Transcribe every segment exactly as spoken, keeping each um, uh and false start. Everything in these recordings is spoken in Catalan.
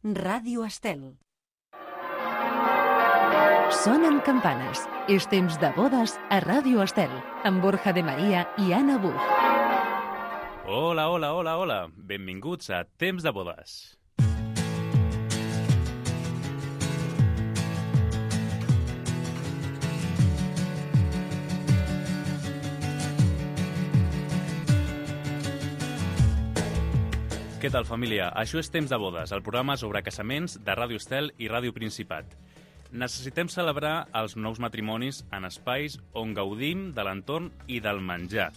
Ràdio Estel. Sonen campanes. És temps de bodes a Ràdio Estel, amb Borja de Maria i Anna Buch. Hola, hola, hola, hola. Benvinguts a Temps de bodes. Què tal, família? Això és Temps de bodes, el programa sobre casaments de Ràdio Estel i Ràdio Principat. Necessitem celebrar els nous matrimonis en espais on gaudim de l'entorn i del menjar.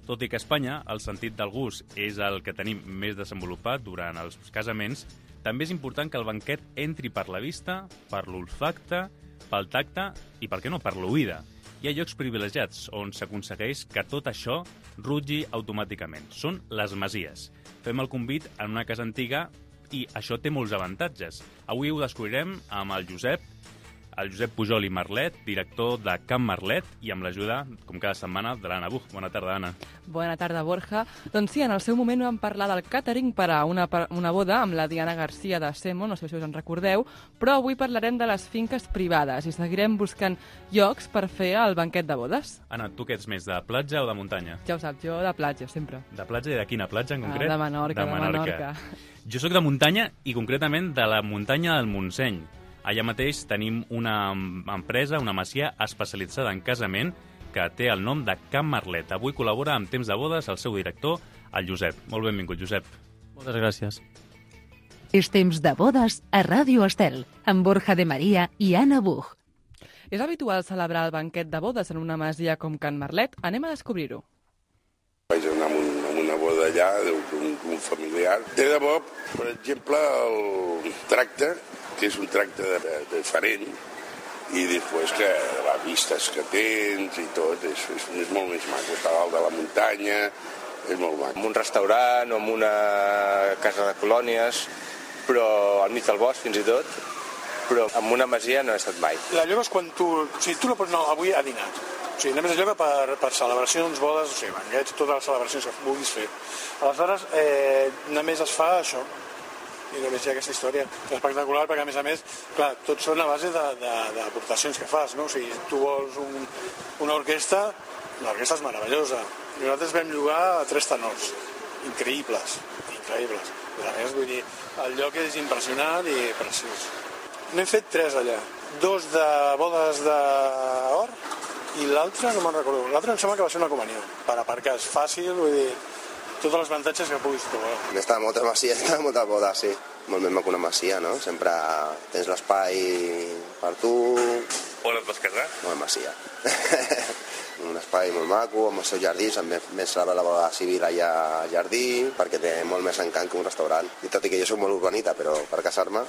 Tot i que a Espanya el sentit del gust és el que tenim més desenvolupat durant els casaments, també és important que el banquet entri per la vista, per l'olfacte, pel tacte i, per què no, per l'oïda. Hi ha llocs privilegiats on s'aconsegueix que tot això rutlli automàticament. Són les masies. Fem el convit en una casa antiga i això té molts avantatges. Avui ho descobrirem amb el Josep, el Josep Pujol i Marlet, director de Can Marlet, i amb l'ajuda, com cada setmana, de l'Anna Buch. Bona tarda, Anna. Bona tarda, Borja. Doncs sí, en el seu moment vam parlar del càtering per a una, una boda amb la Diana Garcia de Semo, no sé si us en recordeu, però avui parlarem de les finques privades i seguirem buscant llocs per fer el banquet de bodes. Anna, tu què ets més, de platja o de muntanya? Ja ho saps, jo de platja, sempre. De platja i de quina platja, en concret? Ah, de Menorca, de Menorca. Jo sóc de muntanya i concretament de la muntanya del Montseny. Allà mateix tenim una empresa, una masia especialitzada en casament que té el nom de Can Marlet. Avui col·labora amb Temps de bodes el seu director, el Josep. Molt benvingut, Josep. Moltes gràcies. És Temps de bodes a Ràdio Estel, amb Borja de Maria i Anna Buch. És habitual celebrar el banquet de bodes en una masia com Can Marlet? Anem a descobrir-ho. Vaig anar amb, un, amb una boda allà d'un un familiar. De debò, per exemple, el tracte, que és un tracte de, de, diferent, i després que les vistes que tens i tot, és, és, és molt més maco. Està dalt de la muntanya, és molt maco. En un restaurant o en una casa de colònies, però al mig del bosc fins i tot, però en una masia no he estat mai. La lloga és quan tu... O sigui, tu no pots anar avui a dinar. O sigui, anem a lloga per, per celebracions, bodes, o sigui, banquets, totes les celebracions que vulguis fer. Aleshores, eh, només es fa això. I només hi ha aquesta història. És espectacular perquè, a més a més, clar, tots són a base d'aportacions que fas, no? O sigui, tu vols un, una orquestra, l'orquestra és meravellosa. I nosaltres vam llogar a tres tenors, increïbles, increïbles. I a més, vull dir, el lloc és impressionant i preciós. N'hem fet tres allà, dos de bodes d'or i l'altre no me'n recordo. L'altre em sembla que va ser una comunió. Per aparcar és fàcil, vull dir, tots els avantatges que puguis trobar. Està molta masia, està molta boda, sí. Molt més maco una masia, no? Sempre tens l'espai per tu. On et vas casar? Molt masia. Un espai molt maco, amb el seu jardí, també més celebra la boda civil allà al jardí, perquè té molt més encant que un restaurant. I tot i que jo soc molt urbanita, però per casar-me...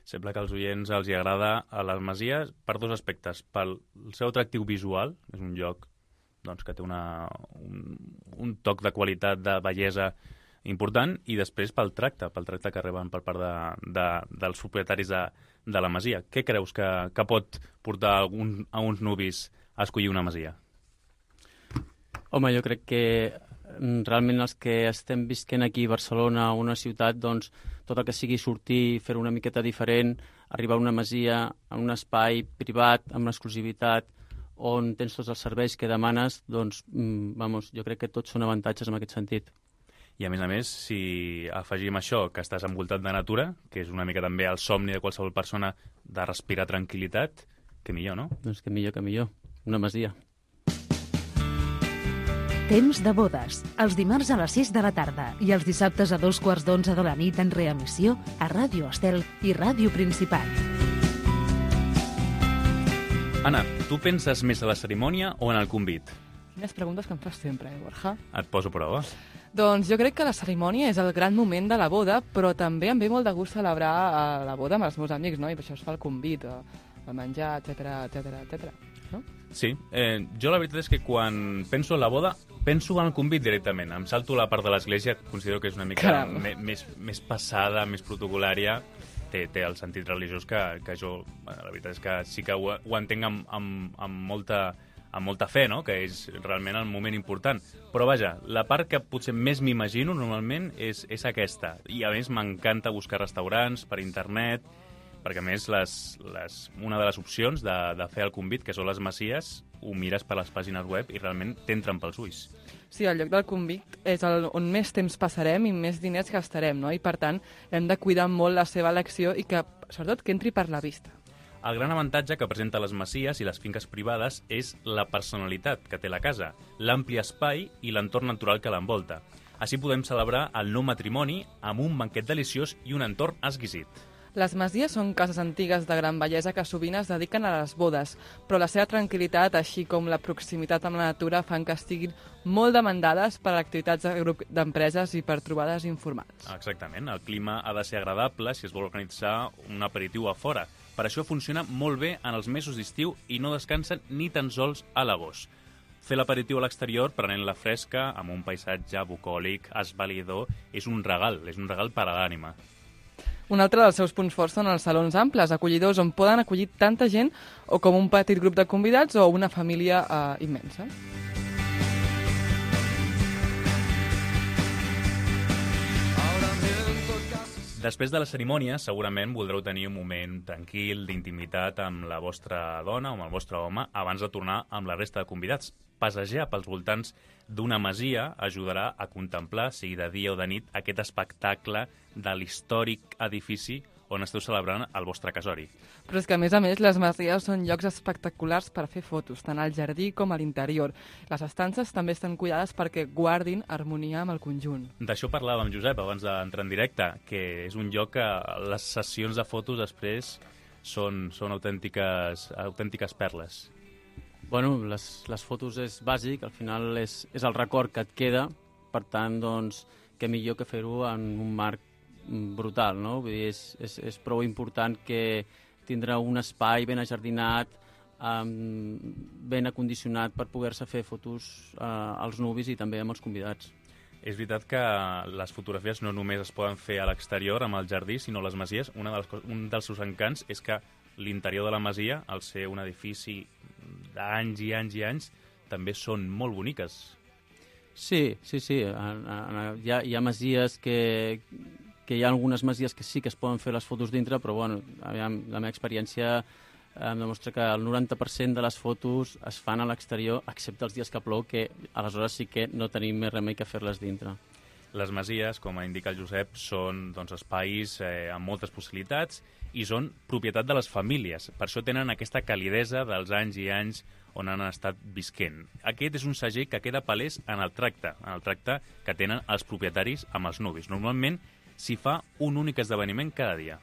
Sembla que als oients els hi agrada a les masies per dos aspectes. Pel seu atractiu visual, és un lloc doncs, que té una, un, un toc de qualitat, de bellesa important, i després pel tracte, pel tracte que reben per part de, de, dels propietaris de, de la masia. Què creus que, que pot portar algun, a uns nuvis a escollir una masia? Home, jo crec que realment els que estem visquent aquí a Barcelona, una ciutat, doncs tot el que sigui sortir, fer una miqueta diferent, arribar a una masia, a un espai privat, amb exclusivitat, on tens tots els serveis que demanes, doncs, vamos, jo crec que tots són avantatges en aquest sentit. I a més a més, si afegim això, que estàs envoltat de natura, que és una mica també el somni de qualsevol persona de respirar tranquil·litat, que millor, no? Doncs que millor, que millor. Una masia. Temps de bodes, els dimarts a les sis de la tarda i els dissabtes a dos quarts d'onze de la nit en reemissió a Ràdio Estel i Ràdio Principat. Anna, tu penses més a la cerimònia o en el convit? Quines preguntes que em fas sempre, eh, Borja? Et poso a prova. Doncs jo crec que la cerimònia és el gran moment de la boda, però també em ve molt de gust celebrar la boda amb els meus amics, no? I per això es fa el convit, el menjar, etcètera, etcètera, etcètera. No? Sí, eh, jo la veritat és que quan penso en la boda, penso en el convit directament. Em salto la part de l'església, considero que és una mica me, més, més passada, més protocolària. Té, té el sentit religiós que, que jo, bueno, la veritat és que sí que ho, ho entenc amb, amb, amb molta amb molta fe, no?, que és realment el moment important. Però vaja, la part que potser més m'imagino normalment és, és aquesta. I a més m'encanta buscar restaurants per internet, perquè a més les, les, una de les opcions de, de fer el convit, que són les masies, ho mires per les pàgines web i realment t'entren pels ulls. Sí, el lloc del convit és el, on més temps passarem i més diners gastarem, no? I per tant hem de cuidar molt la seva elecció i que, sobretot, que entri per la vista. El gran avantatge que presenta les masies i les finques privades és la personalitat que té la casa, l'ampli espai i l'entorn natural que l'envolta. Així podem celebrar el nou matrimoni amb un banquet deliciós i un entorn exquisit. Les masies són cases antigues de gran bellesa que sovint es dediquen a les bodes, però la seva tranquil·litat, així com la proximitat amb la natura, fan que estiguin molt demandades per a activitats de grup d'empreses i per trobades informals. Exactament. El clima ha de ser agradable si es vol organitzar un aperitiu a fora. Per això funciona molt bé en els mesos d'estiu i no descansen ni tan sols a l'agost. Fer l'aperitiu a l'exterior, prenent la fresca, amb un paisatge bucòlic, esvalidor, és un regal, és un regal per a l'ànima. Un altre dels seus punts forts són els salons amples, acollidors, on poden acollir tanta gent o com un petit grup de convidats o una família eh, immensa. Després de la cerimònia, segurament voldreu tenir un moment tranquil, d'intimitat amb la vostra dona o amb el vostre home abans de tornar amb la resta de convidats. Passejar pels voltants d'una masia ajudarà a contemplar, sigui de dia o de nit, aquest espectacle de l'històric edifici on esteu celebrant el vostre casori. Però és que, a més a més, les masies són llocs espectaculars per fer fotos, tant al jardí com a l'interior. Les estances també estan cuidades perquè guardin harmonia amb el conjunt. D'això parlàvem, Josep, abans d'entrar en directe, que és un lloc que les sessions de fotos després són, són autèntiques, autèntiques perles. Bueno, les, les fotos és bàsic, al final és, és el record que et queda, per tant, doncs, què millor que fer-ho en un marc brutal, no? Vull dir, és, és, és prou important que tindrà un espai ben ajardinat, um, ben acondicionat per poder-se fer fotos uh, als nuvis i també amb els convidats. És veritat que les fotografies no només es poden fer a l'exterior, amb el jardí, sinó les masies. Una de les, un dels seus encants és que l'interior de la masia, al ser un edifici d'anys i anys i anys, també són molt boniques. Sí, sí, sí. Hi ha, hi ha masies que, que hi ha algunes masies que sí que es poden fer les fotos dintre, però bueno, la meva experiència em demostra que el noranta per cent de les fotos es fan a l'exterior, excepte els dies que plou, que aleshores sí que no tenim més remei que fer-les dintre. Les masies, com indica el Josep, són doncs, espais eh, amb moltes possibilitats i són propietat de les famílies. Per això tenen aquesta calidesa dels anys i anys on han estat visquent. Aquest és un segell que queda palès en el tracte, en el tracte que tenen els propietaris amb els nuvis. Normalment s'hi fa un únic esdeveniment cada dia.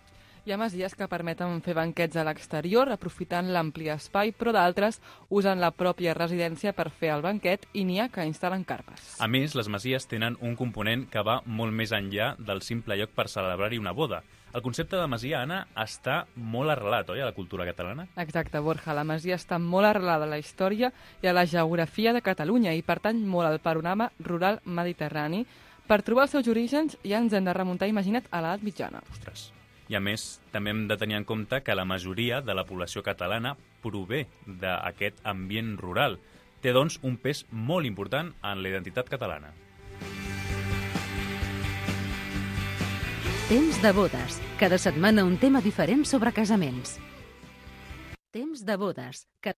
Hi ha masies que permeten fer banquets a l'exterior, aprofitant l'ampli espai, però d'altres usen la pròpia residència per fer el banquet i n'hi ha que instal·len carpes. A més, les masies tenen un component que va molt més enllà del simple lloc per celebrar-hi una boda. El concepte de masia, Anna, està molt arrelat, oi, a la cultura catalana? Exacte, Borja. La masia està molt arrelada a la història i a la geografia de Catalunya i pertany molt al panorama rural mediterrani. Per trobar els seus orígens ja ens hem de remuntar, imagina't, a l'edat mitjana. Ostres. I a més, també hem de tenir en compte que la majoria de la població catalana prové d'aquest ambient rural. Té, doncs, un pes molt important en la identitat catalana. Temps de bodes. Cada setmana un tema diferent sobre casaments. Temps de bodes. Que...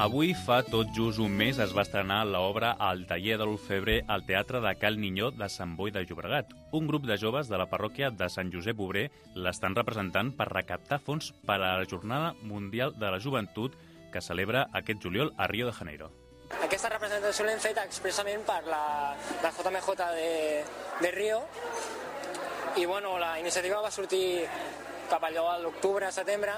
Avui, fa tot just un mes, es va estrenar l'obra El taller de l'Orfebre al Teatre de Cal Ninyó de Sant Boi de Llobregat. Un grup de joves de la parròquia de Sant Josep Obrer l'estan representant per recaptar fons per a la Jornada Mundial de la Joventut que celebra aquest juliol a Rio de Janeiro. Aquesta representació l'hem fet expressament per la, la J M J de, de Rio i bueno, la iniciativa va sortir cap allò a l'octubre, setembre,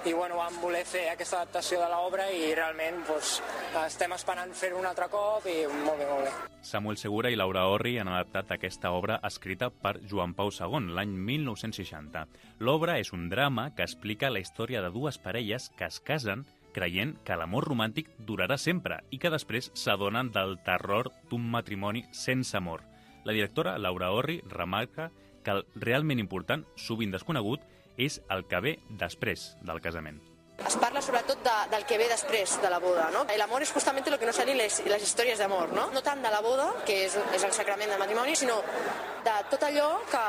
i bueno, vam voler fer aquesta adaptació de l'obra i realment doncs, estem esperant fer-ho un altre cop i molt bé, molt bé. Samuel Segura i Laura Orri han adaptat aquesta obra escrita per Joan Pau segon, l'any mil nou-cents seixanta. L'obra és un drama que explica la història de dues parelles que es casen creient que l'amor romàntic durarà sempre i que després s'adonen del terror d'un matrimoni sense amor. La directora, Laura Orri, remarca que el realment important, sovint desconegut, és el que ve després del casament. Es parla sobretot de, del que ve després de la boda, no? L'amor és justament el que no serien les, les històries d'amor, no? No tant de la boda, que és, és el sacrament del matrimoni, sinó de tot allò que,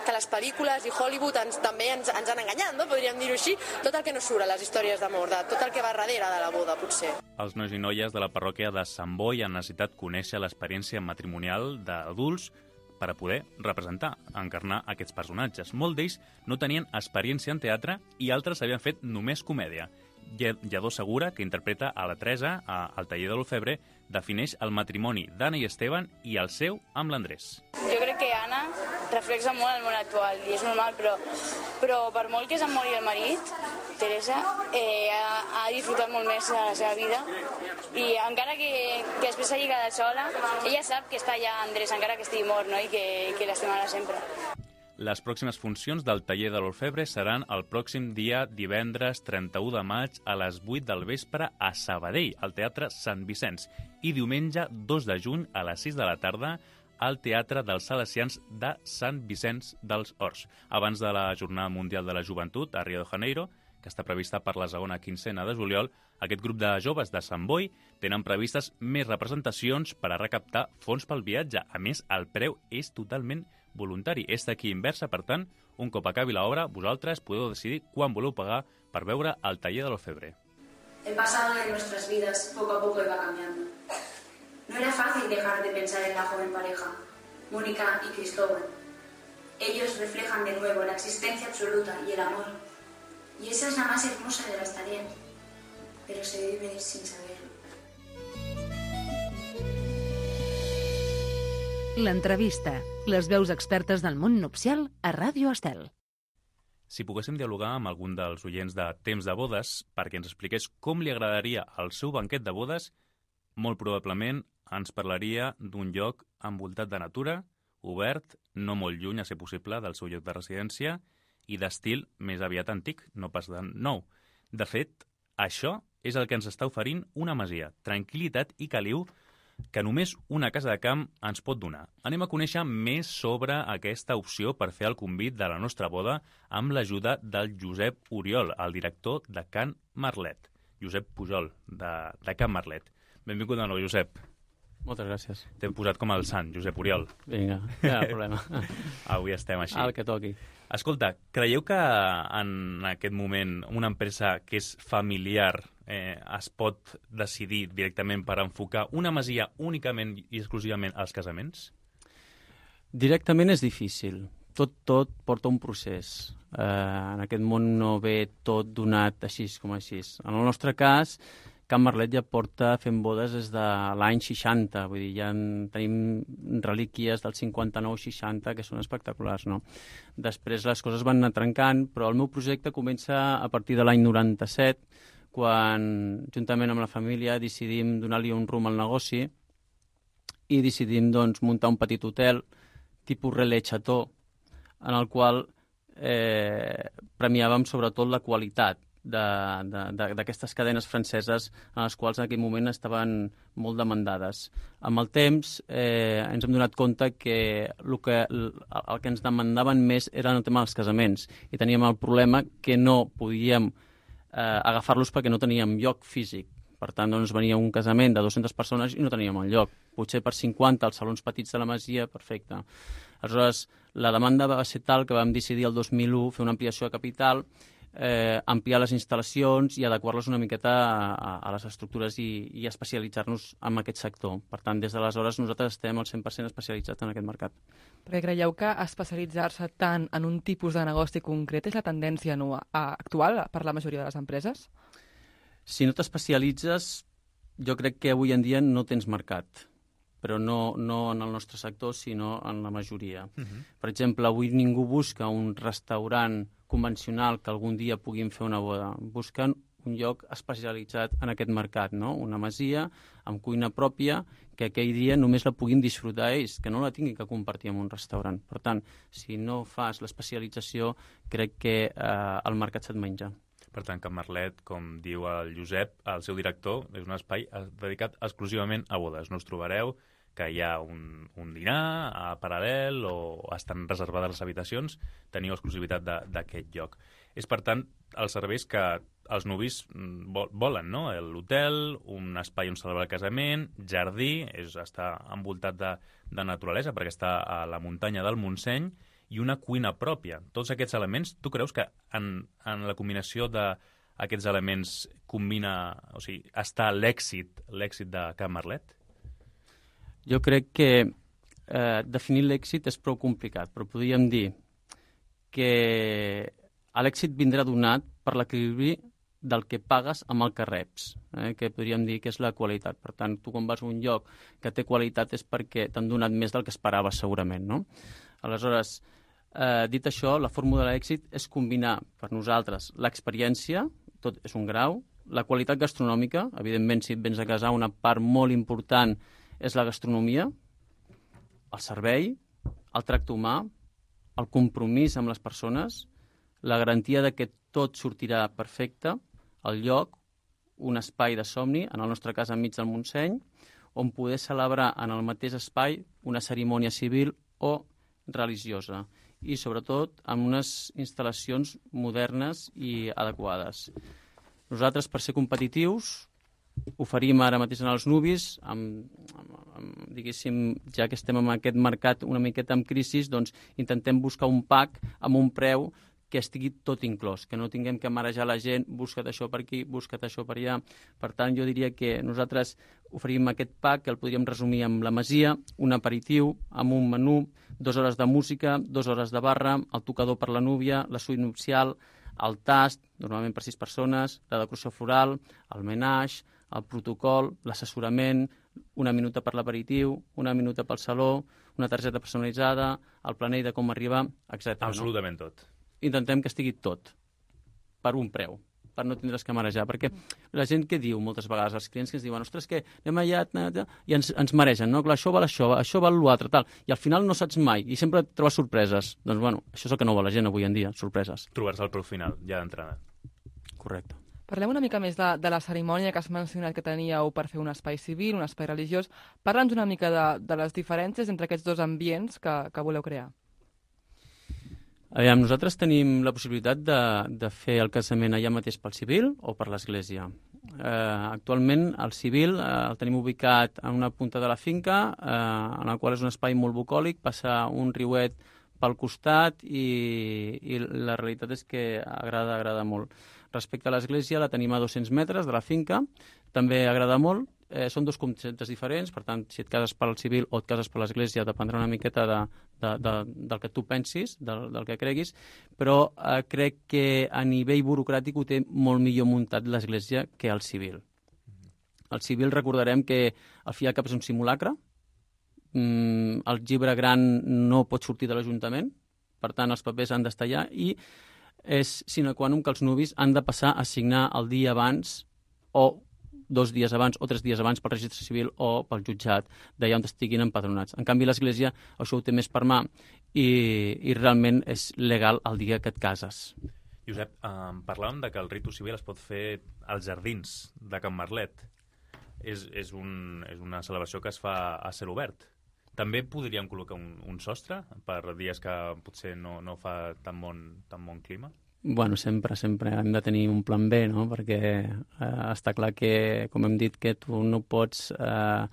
que les pel·lícules i Hollywood ens, també ens, ens han enganyat, no? Podríem dir-ho així, tot el que no surt a les històries d'amor, de tot el que va darrere de la boda, potser. Els nois i noies de la parròquia de Sant Boi han necessitat conèixer l'experiència matrimonial d'adults per a poder representar, encarnar aquests personatges. Molts d'ells no tenien experiència en teatre i altres havien fet només comèdia. Lledó Segura, que interpreta a la Teresa al taller de l'Orfebre, defineix el matrimoni d'Anna i Esteban i el seu amb l'Andrés. Jo crec que Anna reflexa molt el món actual i és normal, però, però per molt que se'n mori el marit, Teresa eh, ha, ha disfrutat molt més de la seva vida i encara que, que després s'hagi quedat sola, ella sap que està allà Andrés, encara que estigui mort, no? I que, que l'estimarà sempre. Les pròximes funcions del taller de l'Orfebre seran el pròxim dia divendres trenta-u de maig a les vuit del vespre a Sabadell, al Teatre Sant Vicenç, i diumenge dos de juny a les sis de la tarda al Teatre dels Salesians de Sant Vicenç dels Horts. Abans de la Jornada Mundial de la Joventut a Rio de Janeiro, que està prevista per la segona quincena de juliol, aquest grup de joves de Sant Boi tenen previstes més representacions per a recaptar fons pel viatge. A més, el preu és totalment voluntari. És d'aquí inversa, per tant, un cop acabi l'obra, vosaltres podeu decidir quan voleu pagar per veure el taller de l'Orfebre. El pasado de nuestras vidas poco a poco iba cambiando. No era fácil dejar de pensar en la joven pareja, Mónica y Cristóbal. Ellos reflejan de nuevo la existencia absoluta y el amor. Y esa es la más hermosa de las tareas, pero se vive sin saberlo. L'entrevista. Les veus expertes del món nupcial a Ràdio Estel. Si poguéssim dialogar amb algun dels oients de Temps de Bodes perquè ens expliqués com li agradaria el seu banquet de bodes, molt probablement ens parlaria d'un lloc envoltat de natura, obert, no molt lluny, a ser possible, del seu lloc de residència, i d'estil més aviat antic, no pas de nou. De fet, això és el que ens està oferint una masia, tranquil·litat i caliu que només una casa de camp ens pot donar. Anem a conèixer més sobre aquesta opció per fer el convit de la nostra boda amb l'ajuda del Josep Oriol, el director de Can Marlet. Josep Pujol, de, de Can Marlet. Benvingut de nou, Josep. Moltes gràcies. T'hem posat com el sant, Josep Oriol. Vinga, no hi ha problema. Avui estem així. El que toqui. Escolta, creieu que en aquest moment una empresa que és familiar eh, es pot decidir directament per enfocar una masia únicament i exclusivament als casaments? Directament és difícil. Tot, tot porta un procés. Eh, en aquest món no ve tot donat així com així. En el nostre cas, Can Marlet ja porta fent bodes des de l'any seixanta, vull dir, ja en tenim relíquies del cinquanta-nou seixanta que són espectaculars, no? Després les coses van anar trencant, però el meu projecte comença a partir de l'any noranta-set, quan, juntament amb la família, decidim donar-li un rumb al negoci i decidim, doncs, muntar un petit hotel, tipus Relais Chateau, en el qual eh, premiàvem sobretot la qualitat d'aquestes cadenes franceses en les quals en aquell moment estaven molt demandades. Amb el temps eh, ens hem donat compte que el, que el, el que ens demandaven més era el tema dels casaments i teníem el problema que no podíem eh, agafar-los perquè no teníem lloc físic. Per tant, doncs, venia un casament de dues-centes persones i no teníem el lloc. Potser per cinquanta als salons petits de la masia, perfecte. Aleshores, la demanda va ser tal que vam decidir el dos mil u fer una ampliació de capital, Eh, ampliar les instal·lacions i adequar-les una miqueta a, a, a les estructures i, i especialitzar-nos en aquest sector. Per tant, des d'aleshores nosaltres estem al cent per cent especialitzats en aquest mercat. Perquè creieu que especialitzar-se tant en un tipus de negoci concret és la tendència no, a, actual per la majoria de les empreses? Si no t'especialitzes, jo crec que avui en dia no tens mercat, però no, no en el nostre sector, sinó en la majoria. Uh-huh. Per exemple, avui ningú busca un restaurant convencional que algun dia puguin fer una boda. Busquen un lloc especialitzat en aquest mercat, no? Una masia amb cuina pròpia que aquell dia només la puguin disfrutar ells, que no la tinguin que compartir amb un restaurant. Per tant, si no fas l'especialització, crec que eh, el mercat se't menja. Per tant, Can Marlet, com diu el Josep, el seu director, és un espai dedicat exclusivament a bodes. No us trobareu que hi ha un, un dinar a paral·lel o estan reservades les habitacions, teniu exclusivitat d'aquest lloc. És, per tant, els serveis que els nuvis volen, no? L'hotel, un espai on celebrar el casament, jardí, és, està envoltat de, de naturalesa perquè està a la muntanya del Montseny, i una cuina pròpia. Tots aquests elements, tu creus que en, en la combinació d'aquests elements combina, o sigui, està l'èxit, l'èxit de Can Marlet? Jo crec que eh, definir l'èxit és prou complicat, però podríem dir que l'èxit vindrà donat per l'equilibri del que pagues amb el que reps, eh, que podríem dir que és la qualitat. Per tant, tu quan vas a un lloc que té qualitat és perquè t'han donat més del que esperaves segurament, no? Aleshores, eh, dit això, la fórmula de l'èxit és combinar per nosaltres l'experiència, tot és un grau, la qualitat gastronòmica, evidentment si et vens a casar una part molt important és la gastronomia, el servei, el tracte humà, el compromís amb les persones, la garantia de que tot sortirà perfecte, el lloc, un espai de somni, en el nostre cas enmig del Montseny, on poder celebrar en el mateix espai una cerimònia civil o religiosa i, sobretot, amb unes instal·lacions modernes i adequades. Nosaltres, per ser competitius, oferim ara mateix en els nuvis, amb, amb, amb, diguéssim, ja que estem en aquest mercat una miqueta en crisi, doncs intentem buscar un pack amb un preu que estigui tot inclòs, que no tinguem que marejar la gent, busca't això per aquí, busca't això per allà. Per tant, jo diria que nosaltres oferim aquest pack, que el podríem resumir amb la masia, un aperitiu, amb un menú, dues hores de música, dues hores de barra, el tocador per la núvia, la suite nupcial, el tast, normalment per sis persones, la decoració floral, el menage, el protocol, l'assessorament, una minuta per l'aperitiu, una minuta pel saló, una targeta personalitzada, el planell de com arribar, etcètera. Absolutament no? tot. Intentem que estigui tot per un preu, per no tindre's que marejar, perquè la gent que diu moltes vegades, els clients que ens diuen, ostres, que anem allà, i ens, ens maregen, no? Clar, això val això, això val l'altre, tal, i al final no saps mai, i sempre trobes sorpreses. Doncs, bueno, això és el que no vol la gent avui en dia, sorpreses. Trobar-se al preu final, ja d'entrada. Correcte. Parlem una mica més de, de la cerimònia que has mencionat que teníeu per fer un espai civil, un espai religiós. Parla'ns una mica de, de les diferències entre aquests dos ambients que, que voleu crear. Aviam, nosaltres tenim la possibilitat de, de fer el casament allà mateix pel civil o per l'església. Eh, actualment el civil eh, el tenim ubicat en una punta de la finca, eh, en el qual és un espai molt bucòlic, passa un riuet pel costat i, i la realitat és que agrada, agrada molt. Respecte a l'església la tenim a dos-cents metres de la finca, també agrada molt. Eh, són dos conceptes diferents, per tant, si et cases pel civil o et cases per l'església, dependrà una miqueta de, de, de, del que tu pensis, del, del que creguis, però eh, crec que a nivell burocràtic ho té molt millor muntat l'església que el civil. El civil recordarem que al fi i al cap és un simulacre, mm, el llibre gran no pot sortir de l'Ajuntament, per tant, els papers han d'estar allà, i és sine qua non que els nuvis han de passar a signar el dia abans o dos dies abans o tres dies abans pel registre civil o pel jutjat d'allà on estiguin empadronats. En canvi, l'Església això ho té més per mà i, i realment és legal el dia que et cases. Josep, eh, parlàvem de que el ritu civil es pot fer als jardins de Can Marlet. És, és, un, és una celebració que es fa a cel obert. També podríem col·locar un, un sostre per dies que potser no, no fa tan bon, tan bon clima? Bueno, sempre, sempre hem de tenir un plan B, no? Perquè eh, està clar que, com hem dit, que tu no pots eh,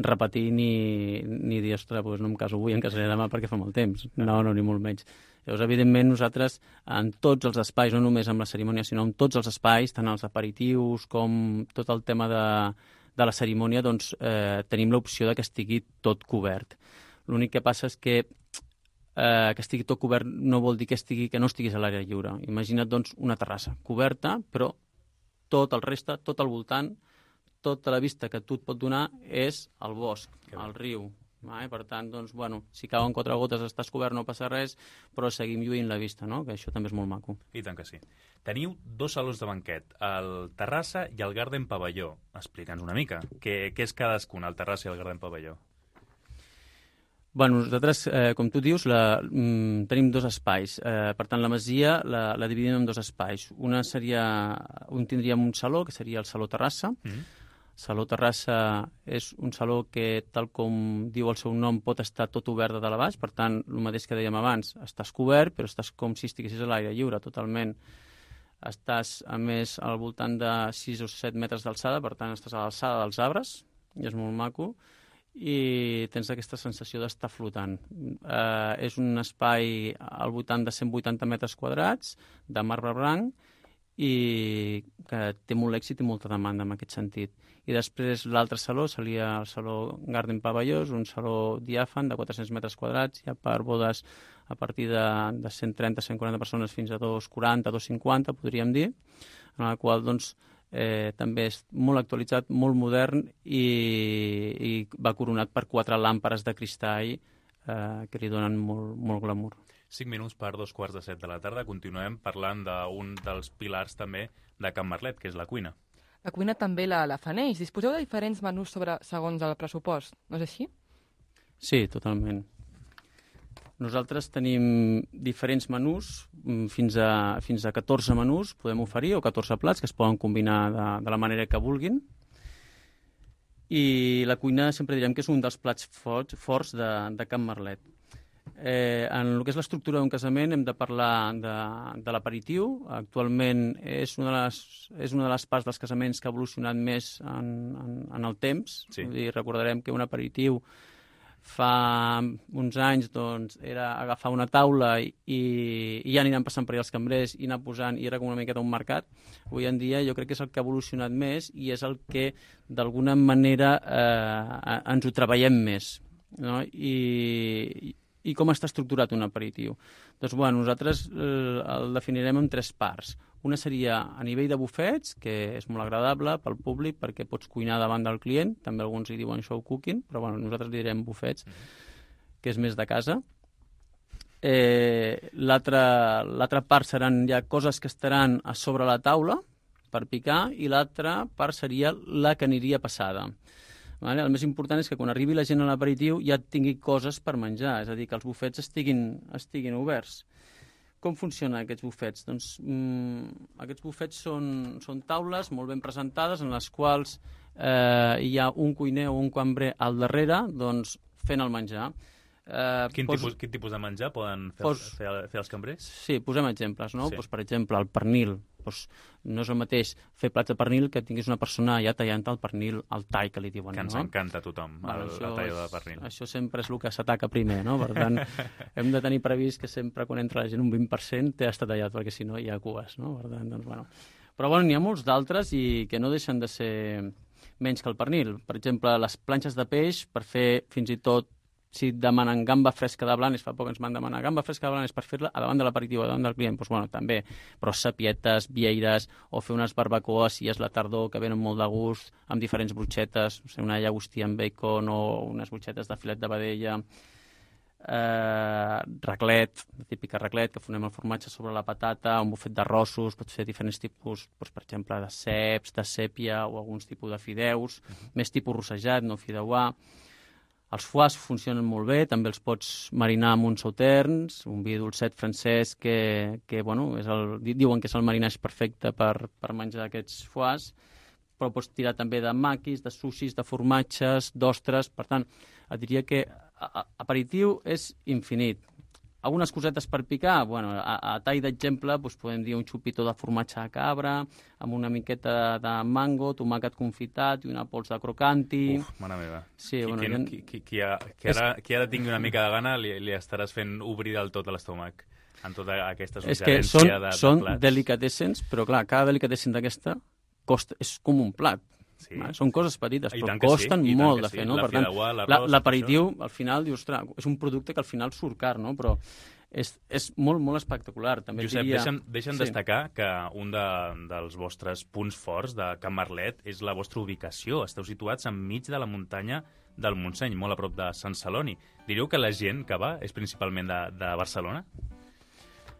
repetir ni, ni dir, ostres, doncs no em caso avui, em casaré demà perquè fa molt temps. No, no, ni molt menys. Llavors, evidentment, nosaltres, en tots els espais, no només amb la cerimònia, sinó en tots els espais, tant els aperitius com tot el tema de, de la cerimònia, doncs eh, tenim l'opció de que estigui tot cobert. L'únic que passa és que Eh, que estigui tot cobert no vol dir que, estigui, que no estiguis a l'aire lliure. Imagina't, doncs, una terrassa coberta, però tot el reste, tot al voltant, tota la vista que tu et pot donar és el bosc, el riu. Eh? Per tant, doncs, bueno, si cauen quatre gotes estàs cobert, no passa res, però seguim lluint la vista, no? Que això també és molt maco. I tant que sí. Teniu dos salons de banquet, el Terrassa i el Garden Pavelló. Explica'ns una mica. Què, què és cadascun, el Terrassa i el Garden Pavelló? Bueno, nosaltres, eh, com tu dius, la, mm, tenim dos espais. Eh, per tant, la masia la, la dividim en dos espais. Una seria, un tindríem un saló, que seria el Saló Terrassa. Mm-hmm. Saló Terrassa és un saló que, tal com diu el seu nom, pot estar tot obert de dalt a baix, per tant, el mateix que dèiem abans, estàs cobert, però estàs com si estiguessis a l'aire lliure, totalment. Estàs, a més, al voltant de sis o set metres d'alçada, per tant, estàs a l'alçada dels arbres, i és molt maco, i tens aquesta sensació d'estar flotant. Eh, és un espai al voltant de cent vuitanta metres quadrats, de marbre blanc, i que té molt èxit i molta demanda en aquest sentit. I després l'altre saló seria el saló Garden Pavellós, un saló diàfan de quatre-cents metres quadrats, ja per bodes a partir de, de cent trenta a cent quaranta persones fins a dos quaranta, dos cinquanta, podríem dir, en el qual doncs, eh, també és molt actualitzat, molt modern i, i va coronat per quatre làmperes de cristall eh, que li donen molt, molt glamour. cinc minuts per dos quarts de set de la tarda. Continuem parlant d'un dels pilars també de Can Marlet, que és la cuina. La cuina també la, la faneix. Disposeu de diferents menús sobre, segons el pressupost, no és així? Sí, totalment. Nosaltres tenim diferents menús, fins a, fins a catorze menús podem oferir, o catorze plats, que es poden combinar de, de la manera que vulguin. I la cuina sempre direm que és un dels plats forts, forts de, de Can Marlet. Eh, en el que és l'estructura d'un casament hem de parlar de, de l'aperitiu. Actualment és una, de les, és una de les parts dels casaments que ha evolucionat més en, en, en el temps. Sí. Vull dir, recordarem que un aperitiu fa uns anys doncs, era agafar una taula i, i ja aniran passant per allà els cambrers i anar posant, i era com una miqueta un mercat. Avui en dia jo crec que és el que ha evolucionat més i és el que d'alguna manera eh, ens ho treballem més, no? I, I com està estructurat un aperitiu? Doncs, bueno, nosaltres eh, el definirem en tres parts. Una seria a nivell de bufets, que és molt agradable pel públic perquè pots cuinar davant del client, també alguns hi diuen show cooking, però bueno, nosaltres li direm bufets, que és més de casa. Eh, l'altra part seran ja coses que estaran a sobre la taula per picar, i l'altra part seria la que aniria passada. Vale? El més important és que quan arribi la gent a l'aperitiu ja tingui coses per menjar, és a dir, que els bufets estiguin, estiguin oberts. Com funcionen aquests bufets? Doncs mmm, aquests bufets són, són taules molt ben presentades en les quals eh, hi ha un cuiner o un cambrer al darrere doncs, fent el menjar. Eh, quin, pos... tipus, quin tipus de menjar poden fer, pos... fer, fer els cambrers? Sí, posem exemples, no? Sí. Pues, per exemple, el pernil. Pues, no és el mateix fer plats de pernil que tinguis una persona allà tallant el pernil, el tall que li diuen. Que ens no? encanta a tothom, bueno, el, la talla de pernil. Això sempre és el que s'ataca primer, no? Per tant, hem de tenir previst que sempre quan entra la gent un vint per cent té estat tallat, perquè si no hi ha cues, no? Per tant, doncs, bueno. Però bueno, n'hi ha molts d'altres i que no deixen de ser menys que el pernil. Per exemple, les planxes de peix, per fer fins i tot, si et demanen gamba fresca de blanes, fa poc ens van demanar gamba fresca de blanes per fer-la a davant de l'aperitiu, a davant del client, doncs bueno, també, però sapietes, vieires, o fer unes barbacoes, si és la tardor, que venen molt de gust, amb diferents brutxetes, o sigui, una llagostia amb bacon o unes brutxetes de filet de vedella, eh, raclet, la típica raclet, que fonem el formatge sobre la patata, un bufet d'arrossos, pots fer diferents tipus, doncs, per exemple, de ceps, de sèpia o alguns tipus de fideus, uh-huh. més tipus rossejat, no fideuà. Els foies funcionen molt bé, també els pots marinar amb uns sauterns, un vi dolcet francès que, que bueno, és el, diuen que és el marinatge perfecte per, per menjar aquests foies, però pots tirar també de maquis, de sushis, de formatges, d'ostres. Per tant, et diria que aperitiu és infinit. Algunes cosetes per picar, bueno, a, a tall d'exemple doncs podem dir un xupito de formatge de cabra, amb una miqueta de mango, tomàquet confitat i una pols de crocanti. Uf, mare meva. Sí, qui, bueno, qui, ha... qui, qui, qui, ha, qui, ara, qui ara tingui una mica de gana li, li estaràs fent obrir del tot l'estómac en tota aquesta suggerència és que són, de, de són plats. delicatessens, però clar, cada delicatessen d'aquesta costa, és com un plat. Sí. Són coses petites, I però costen sí, molt de sí. fer, no? La Per tant, l'aperitiu, al final, dius, ostres, és un producte que al final surt car, no? Però és, és molt, molt espectacular. També Josep, diria... deixa'm, deixa'm sí. destacar que un de, dels vostres punts forts de Can Marlet és la vostra ubicació. Esteu situats enmig de la muntanya del Montseny, molt a prop de Sant Celoni. Diríeu que la gent que va és principalment de, de Barcelona?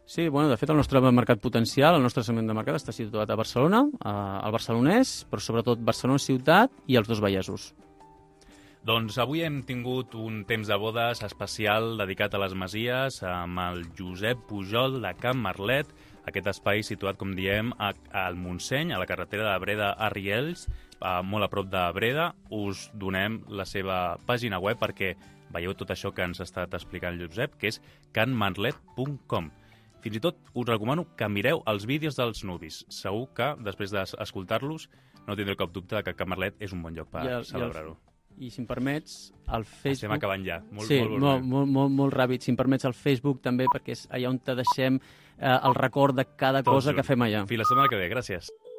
Sí, bueno, de fet el nostre mercat potencial, el nostre segment de mercat està situat a Barcelona, al barcelonès, però sobretot Barcelona ciutat i els dos Vallesos. Doncs avui hem tingut un temps de bodes especial dedicat a les Masies amb el Josep Pujol de Can Marlet, aquest espai situat, com diem, al Montseny, a la carretera de Breda a Riells, a, molt a prop de Breda. Us donem la seva pàgina web perquè veieu tot això que ens ha estat explicant Josep, que és can marlet punt com. Fins i tot us recomano que mireu els vídeos dels nubis. Segur que, després d'escoltar-los, no tindreu cap dubte que Can Marlet és un bon lloc per celebrar-ho. I si em permets, al Facebook... Estem acabant ja. Molt, sí, molt, molt, molt, molt, molt ràpid. Si em permets, al Facebook també, perquè és allà on te deixem eh, el record de cada Tot cosa junt. que fem allà. Fins la setmana que ve. Gràcies.